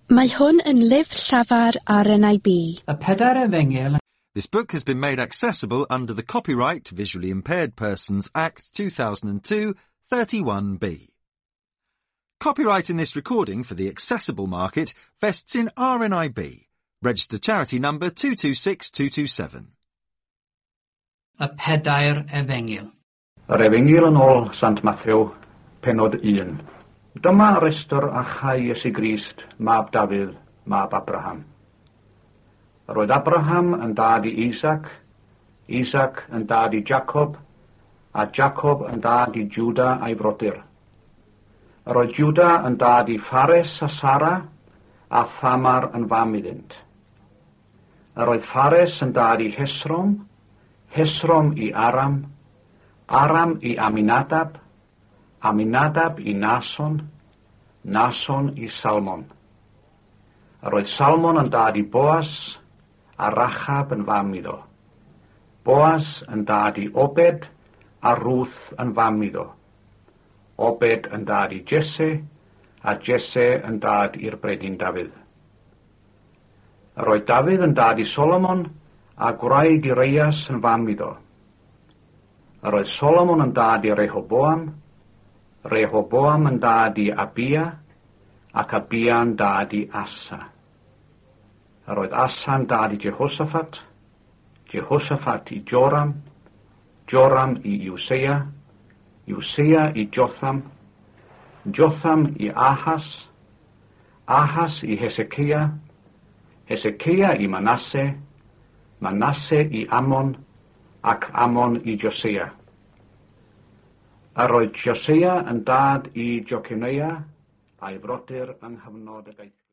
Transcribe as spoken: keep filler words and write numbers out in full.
Mae hwn yn lyfr llafar R N I B. Y pedair efengyl This book has been made accessible under the Copyright Visually Impaired Persons Act two thousand two, thirty-one B. Copyright in this recording for the accessible market vests in R N I B, registered charity number two two six two two seven. Y pedair efengyl. Yr Efengyl yn ôl Sant Mathew, pennod un. Dyma restr achau Iesu Grist, mab Dafydd, mab Abraham. Yr oedd Abraham yn dad i Isaac, Isaac yn dad i Jacob, a Jacob yn dad i Juda a'i frodyr. Yr oedd Juda yn dad i Phares a Sara, a Thamar yn fam iddynt. Yr oedd Phares yn dad i Hesrom, Hesrom i Aram, Aram i Aminadab, Aminadab i Nason, Nason i Salmon. Yr oedd Salmon yn dad i Boas, a Rachab yn fam iddo. Boas yn dad i Obed, a Ruth yn fam iddo. Obed yn dad i Jesse, a Jesse yn dad i'r brenin Dafydd. Yr oedd Dafydd yn dad i Solomon, a gwraig Ureias yn fam iddo. Yr oedd Solomon yn dad i Rehoboam, Rehoboam yn dad i Abia, ac Abia yn dad i Asa. Yr oedd Asa'n dad i Jehoshaphat, Jehoshaphat i Joram, Joram i Useia, Useia i Jotham, Jotham i Ahas, Ahas i Hezekiah, Hezekiah i Manasse, Manasse i Amon, ac Amon i Josia. Yr oedd Josia yn dad i Joconia a'i frodyr yng nghyfnod y gaethglud.